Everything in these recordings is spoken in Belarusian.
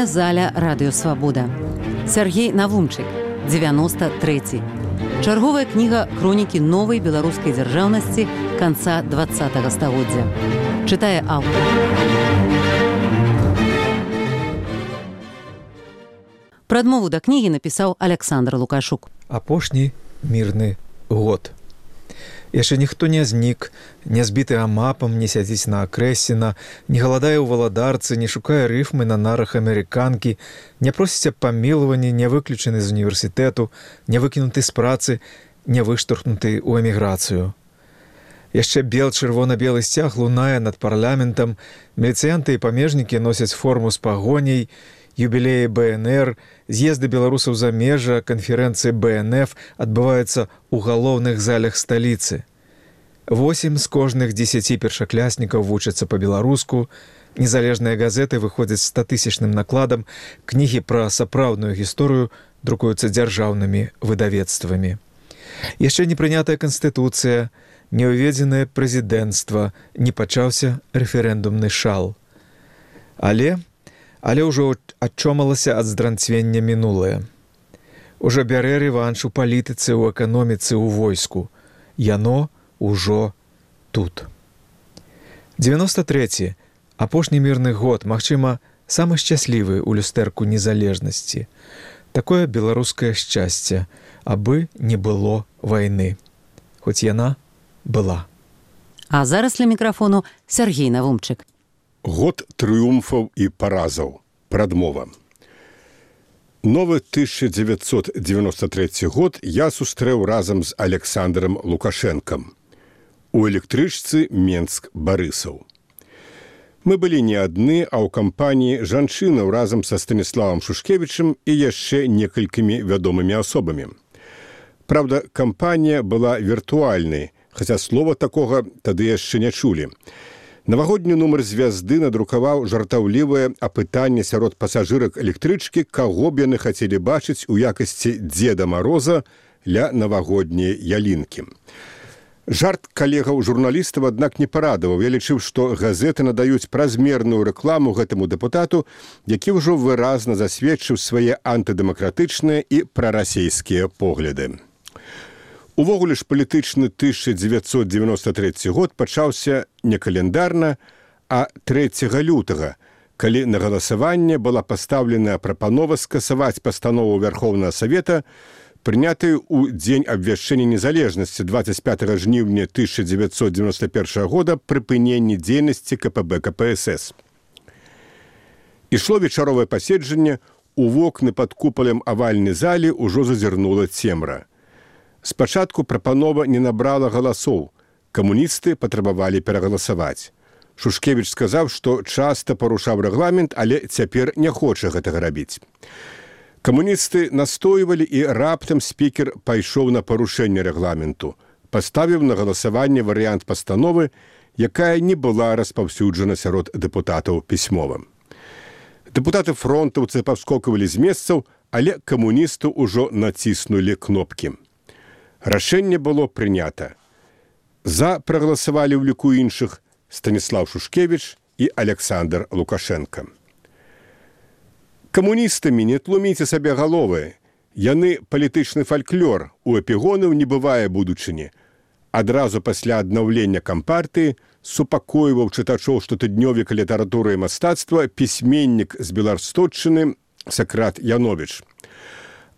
Чытальная заля радыёвабода. Сяргей Навумчык, 93. Чарговая кніга хронікі новай беларускай дзяржаўнасці канца 20-го стагоддзя. Чытае аўтар. Прадмову да кнігі напісаў Александр Лукашук. Апошні мірны год. Яшчэ ніхто не знік, не збіты амапам, не сядзіць на акрэсіна, не галадае ў валадарцы, не шукае рыфмы на нарах амерыканкі, не просіць аб памілаванні, не выключаны з універсітэту, не выкінуты з працы, не выштурхнуты ў эміграцыю. Яшчэ чырвона-белы сцяг лунае над парламентам, міліцыянты і памежнікі носяць форму з пагоняй, юбілеі БНР, з'езды беларусаў за межа, канферэнцыі БНФ адбываюцца ў галоўных залях сталіцы. 8 з кожных 10 першакляснікаў вучацца па-беларуску, незалежныя газеты выходзяць з 100-тысячным накладам, кнігі пра сапраўдную гісторыю друкуюцца дзяржаўнымі выдавецтвамі. Яшчэ не прынятая канстытуцыя, не ўведзенае прэзідэнцтва, не пачаўся рэферэндумны шал. Але ўжо адчомалася ад здранцвення мінулае. Ужо бярэ рэванш у палітыцы, у эканоміцы, у войску. Яно ўжо тут. 93. Апошні мірны год, магчыма, самы шчаслівы ў люстэрку незалежнасці. Такое беларускае шчасце, абы не было вайны. Хоць яна была. А зараз ля мікрафону Сяргей Навумчык. Год трыумфаў і паразаў. Прадмова. Новы 1993 год я сустрэў разам з Александром Лукашэнкам. У электрычцы Менск-Барысаў. Мы былі не адны, а ў кампаніі жанчынаў разам са Станіславам Шушкевічам і яшчэ некалькімі вядомымі асобамі. Праўда, кампанія была віртуальнай, хаця слова такога тады яшчэ не чулі. Навагодні нумар «Звязды» надрукаваў жартаўлівае апытанне сярод пасажырак электрычкі, каго б яны хацелі бачыць у якасці Дзеда Мароза ля навагодняй ялінкі. Жарт калегаў-журналістаў, аднак, не парадаваў. Я лічыў, што газеты надаюць празмерную рэкламу гэтаму дэпутату, які ўжо выразна засведчыў свае антыдэмакратычныя і прарасійскія погляды. Увогуле ж палітычны 1993 год пачаўся не календарна, а 3 лютага, калі на галасаванне была пастаўленая прапанова скасаваць пастанову Верховнага Савета, прынятую ў дзень абвяшчэння незалежнасці 25 жніўня 1991 года прыпыненні дзейнасці КПБ КПСС. Ішло вечаровае паседжанне, у вокны пад купалем авальнай залі ўжо зазірнула цемра. Спачатку прапанова не набрала галасоў. Камуністы патрабавалі перагаласаваць. Шушкевіч сказаў, што часта парушаў рэгламент, але цяпер не хоча гэтага рабіць. Камуністы настойвалі, і раптам спікер пайшоў на парушэнне рэгламенту, паставіў на галасаванне варыянт пастановы, якая не была распаўсюджана сярод дэпутатаў пісьмова. Дэпутаты фронтаўцы павскокавалі з месцаў, але камуністы ўжо націснулі кнопкі. Рашэнне было прынята. За прагаласавалі ў ліку іншых Станіслав Шушкевіч і Александр Лукашенко. Камуністамі не тлуміце сабе галовы. Яны палітычны фальклор, у эпігонаў не бывае будучыні. Адразу пасля аднаўлення кампартыі супакойваў чытачоў штотыднёвіка літаратуры і мастацтва пісьменнік з Беларстотчыны Сакрат Яновіч.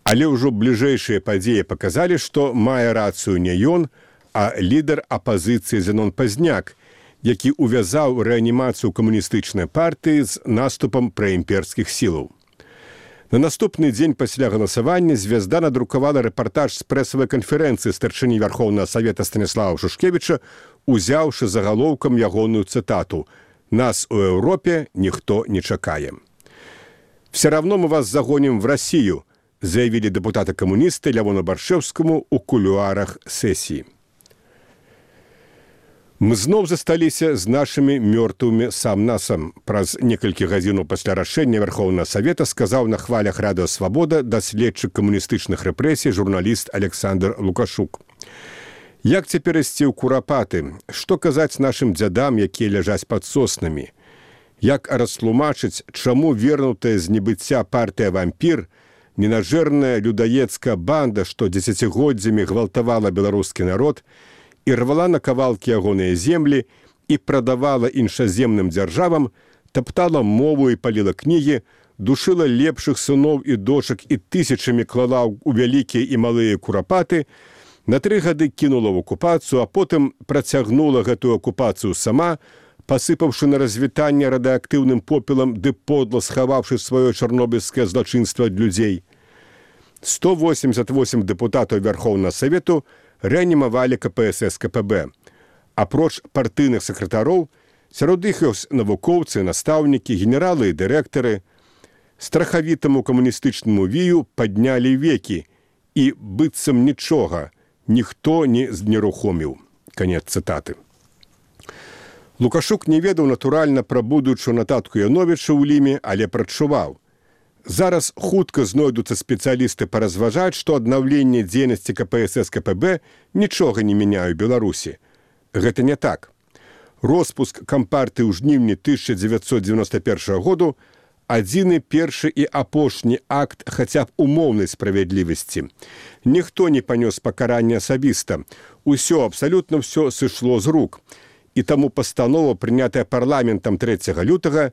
Але ўжо бліжэйшыя падзеі паказалі, што мае рацыю не ён, а лідар апазіцыі Зенон Пазняк, які увязаў рэанімацыю камуністычнай партыі з наступам праімперскіх сілаў. На наступны дзень пасля галасавання «Звязда» надрукавала рэпартаж з прэсавай канферэнцыі старшыні Верховнага Савета Станіслава Шушкевіча, узяўшы загалоўкам ягоную цытату «Нас у Еўропе ніхто не чакае». «Все равно мы вас загоним в Россию», заявілі дэпутаты-камуністы Лявону Баршэўскаму ў кулуарах сесіі. Мы зноў засталіся з нашымі мёртвымі сам-насам. Праз некалькі гадзінаў пасля рашэння Верховнага Савета сказаў на хвалях радыёвабода даследчык камуністычных рэпрэсій журналіст Александр Лукашук. Як цяпер ісці ў курапаты? Што казаць нашым дзядам, якія ляжаць пад соснамі? Як растлумачыць, чаму вернутая з небыцця партыя «Вампір», ненажэрная людаецкая банда, што дзесяцігоддзямі гвалтавала беларускі народ і рвала на кавалкі ягоныя землі і прадавала іншаземным дзяржавам, таптала мову і паліла кнігі, душыла лепшых сыноў і дочак і тысячамі клала ў вялікія і малыя курапаты, на 3 гады кінула ў акупацыю, а потым працягнула гэтую акупацыю сама, пасыпаўшы на развітанне радыактыўным попелам ды подла схаваўшы сваё чарнобыльскае злачынства ад людзей. 188 дэпутатаў Вярхоўнага Савету рэанімавалі КПСС КПБ. Апроч партыйных сакратароў, сярод іх ёсць навукоўцы, настаўнікі, генералы і дырэктары. Страхавітаму камуністычнаму вію паднялі векі, і быццам нічога ніхто не знерухоміў. Канец цытаты. Лукашук не ведаў, натуральна, пра будучую нататку Яновіча ў Ліме, але прачуваў. Зараз хутка знойдуцца спецыялісты паразважаць, што аднаўленне дзейнасці КПСС КПБ нічога не мяняе ў Беларусі. Гэта не так. Роспуск кампартыі ў жніўні 1991 году адзіны першы і апошні акт хаця б умоўнай справядлівасці. Ніхто не панёс пакаранне асабіста. Усё, абсалютна ўсё сышло з рук. І таму пастанова, прынятая парламентам 3 лютага,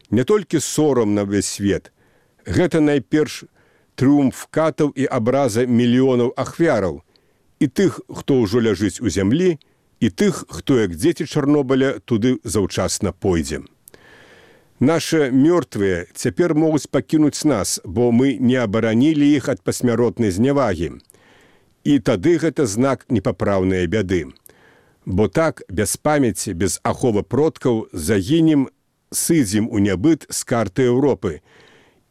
не толькі сорам на ўвесь свет. Гэта найперш трыумф катаў і абраза мільёнаў ахвяраў. І тых, хто ўжо ляжыць у зямлі, і тых, хто, як дзеці Чарнобыля, туды заўчасна пойдзе. Нашы мёртвыя цяпер могуць пакінуць нас, бо мы не абаранілі іх ад пасмяротнай знявагі. І тады гэта знак непапраўнай бяды. Бо так, без памяці, без аховы продкаў, загінем, сыдзем у нябыт з карты Еўропы.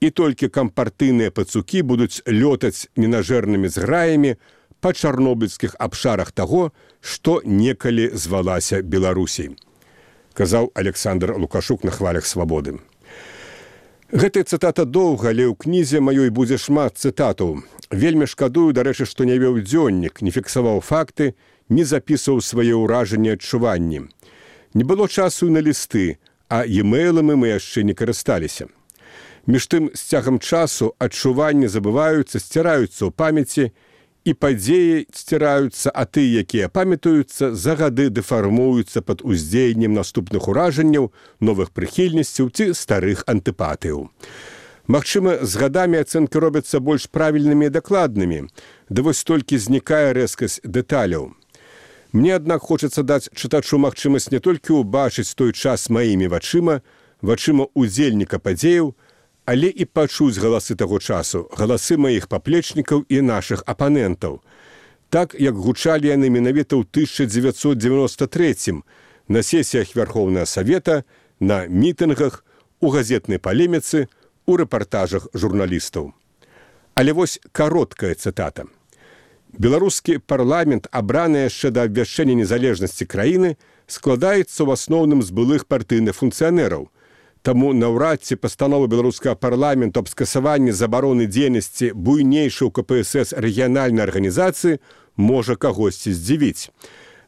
І толькі кампартыйныя пацукі будуць лётаць ненажэрнымі зграямі па чарнобыльскіх абшарах таго, што некалі звалася Беларусей, казаў Александр Лукашук на хвалях свабоды. Гэтая цытата доўга, але ў кнізе маёй будзе шмат цытатаў. Вельмі шкадую, дарэчы, што не вёў дзённік, не фіксаваў факты, не запісваў свае ўражанні, адчуванні. Не было часу на лісты, а e-мейлами мы яшчэ не карысталіся. Між тым, з цягам часу адчуванні забываюцца, сціраюцца ў памяці, і падзеі сціраюцца, а тыя, якія памятаюцца, за гады дэфармуюцца пад уздзеяннем наступных уражанняў, новых прыхільнасцяў ці старых антыпатыяў. Магчыма, з гадамі ацэнкі робяцца больш правільнымі і дакладнымі, да вось толькі знікае рэзкасць дэталяў. Мне, аднак, хочацца даць чытачу магчымасць не толькі ўбачыць той час маімі вачыма удзельніка падзеяў, але і пачуць галасы таго часу, галасы маіх паплечнікаў і нашых апанентаў. Так, як гучалі яны менавіта ў 1993 на сесіях Вярхоўнага Савета, на мітынгах, у газетнай палеміцы, у рэпартажах журналістаў. Але вось кароткая цытата. Беларускі парламент, абраны яшчэ да абвяшчэння незалежнасці краіны, складаецца ў асноўным з былых партыйных функцыянераў. Таму наўрад ці пастанова беларускага парламенту аб скасаванні забароны дзейнасці буйнейшай у КПСС рэгіянальнай арганізацыі можа кагосьці здзівіць.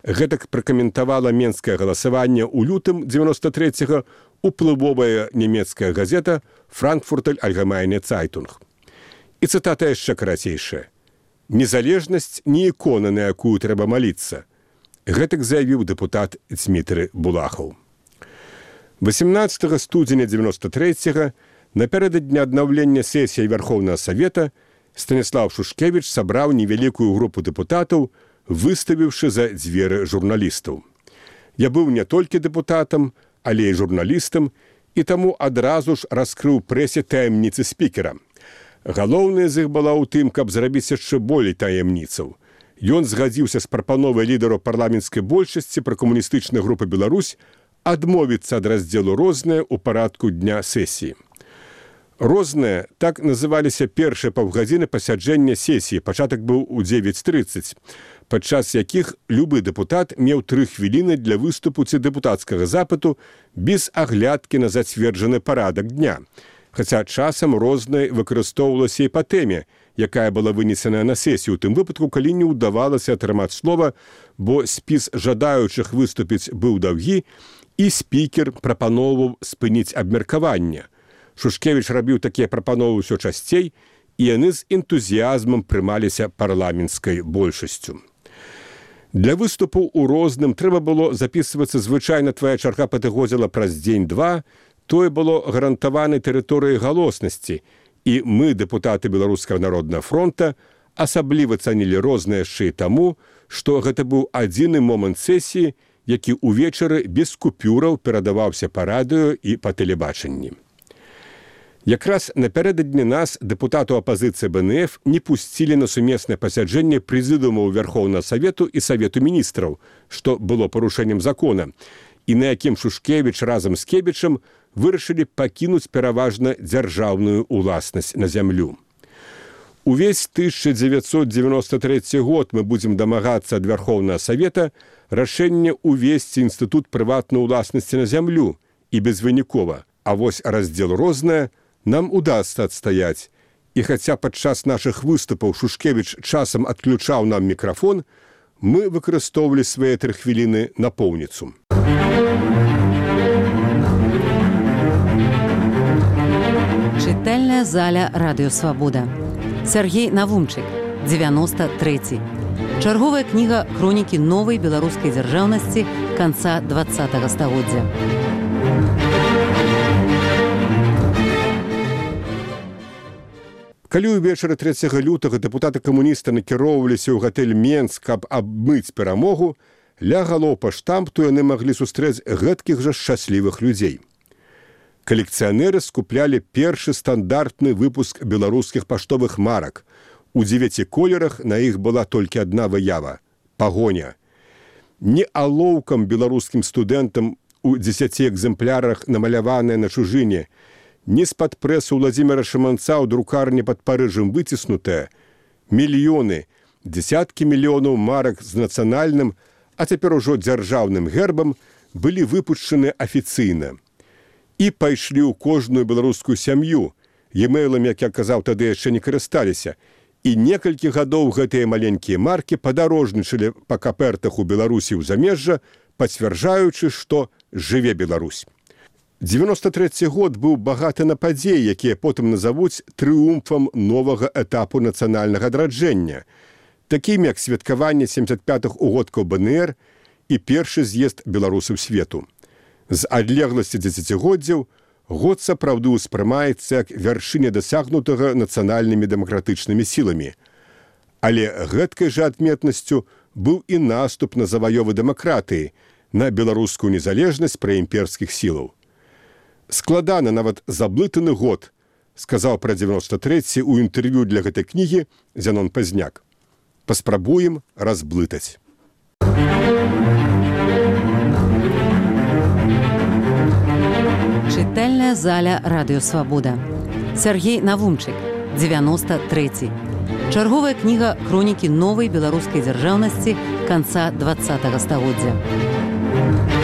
Гэтак пракаментавала менскае галасаванне ў лютым 93-го уплывовая нямецкая газета «Франкфуртер Allgemeine Zeitung». І цытата яшчэ карацейшая. «Незалежнасць не ікона, на якую трэба маліцца». Гэтак заявіў дэпутат Дзмітрый Булахаў. 18 студзеня 93-го, напярэдадні аднаўлення сесіі Вярхоўнага Савета, Станіслаў Шушкевіч сабраў невялікую групу дэпутатаў, выставіўшы за дзверы журналістаў. Я быў не толькі дэпутатам, але і журналістам, і таму адразу ж раскрыў прэсе таямніцы спікера. Галоўная з іх была ў тым, каб зрабіць яшчэ болей таямніцаў. Ён згадзіўся з прапановай лідару парламенцкай большасці пра камуністычныя групы Беларусь адмовіцца ад раздзелу «Рознае» ў парадку дня сесіі. «Рознае» — так называліся першыя паўгадзіны пасяджэння сесіі, пачатак быў у 9:30, падчас якіх любы дэпутат меў 3 хвіліны для выступу ці дэпутацкага запыту без аглядкі на зацверджаны парадак дня. Хаця часам «Рознае» выкарыстоўвалася і па тэме, якая была вынесеная на сесію, у тым выпадку, калі не ўдавалася атрымаць слова, бо спіс жадаючых выступіць быў даўгі, І спікер прапаноўваў спыніць абмеркаванне. Шушкевіч рабіў такія прапановы ўсё часцей, і яны з энтузіязмам прымаліся парламенцкай большасцю. Для выступу ў розным трэба было запісвацца звычайна твая чарга падыходзіла праз дзень-два, тое было гарантаванай тэрыторыяй галоснасці, і мы, дэпутаты Беларускага народнага фронта, асабліва цанілі рознае яшчэ і таму, што гэта быў адзіны момант сесіі, які ўвечары без купюраў перадаваўся па радыё і па тэлебачанні. Якраз напярэдадні нас дэпутату апазіцыі БНФ не пусцілі на сумеснае пасяджэнне прэзідыумаў Верхоўнага Савету і Савету міністраў, што было парушэннем закона, і на якім Шушкевіч разам з Кебічам вырашылі пакінуць пераважна дзяржаўную ўласнасць на зямлю. Увесь 1993 год мы будзем дамагацца ад Верхоўнага Савета рашэнне ўвесці інстытут прыватнай уласнасці на зямлю і безвынікова, а вось раздзел рознае нам удасца адстаяць. І хаця падчас нашых выступаў Шушкевіч часам адключаў нам мікрафон, мы выкарыстоўвалі свае 3 хвіліны напоўніцу. Чытальная заля Радыё Свабода. Сергей Навумчык, 93. Чарговая кніга хронікі новай беларускай дзяржаўнасці канца 20-го стагоддзя. Калі ўвечары 3 лютага дэпутаты-камуністы накіроўваліся ў гатэль Менск, каб абмыць перамогу, ля галоў па штампту яны маглі сустрэць гэткіх жа шчаслівых людзей. Калекцыянеры скуплялі першы стандартны выпуск беларускіх паштовых марак. У 9 колерах на іх была толькі адна выява – пагоня. Не алоўкам беларускім студэнтам у 10 экземплярах намаляваныя на чужыне, не з-пад прэсу Владзіміра Шыманца ў друкарні пад Парыжам выціснутая. Мільёны, дзесяткі мільёнаў марак з нацыянальным, а цяпер ужо дзяржаўным гербам былі выпушчаны афіцыйна. І пайшлі ў кожную беларускую сям'ю. Емэйлам, як я казаў, тады яшчэ не карысталіся. І некалькі гадоў гэтыя маленькія маркі падарожнічалі па капертах у Беларусі ў замежжа, пацвярджаючы, што жыве Беларусь. 93 год быў багаты на падзеі, якія потым назавуць трыумфам новага этапу нацыянальнага адраджэння, такім як святкаванне 75-х угодкаў БНР і першы з'езд беларусаў свету. З адлегласці дзесяцігоддзяў год сапраўды ўспрымаецца як вяршыня дасягнутага нацыянальнымі дэмакратычнымі сіламі. Але гэткай жа адметнасцю быў і наступ на заваёвы дэмакратыі, на беларускую незалежнасць праімперскіх сілаў. Складаны нават заблытаны год, сказаў пра 93-й у інтэрв'ю для гэтай кнігі Зянон Пазняк. Паспрабуем разблытаць. Чытальная заля Радыё Свабода. Сергей Навумчык, 93. Чарговая кніга хронікі новай беларускай дзяржаўнасці канца 20-го стагоддзя.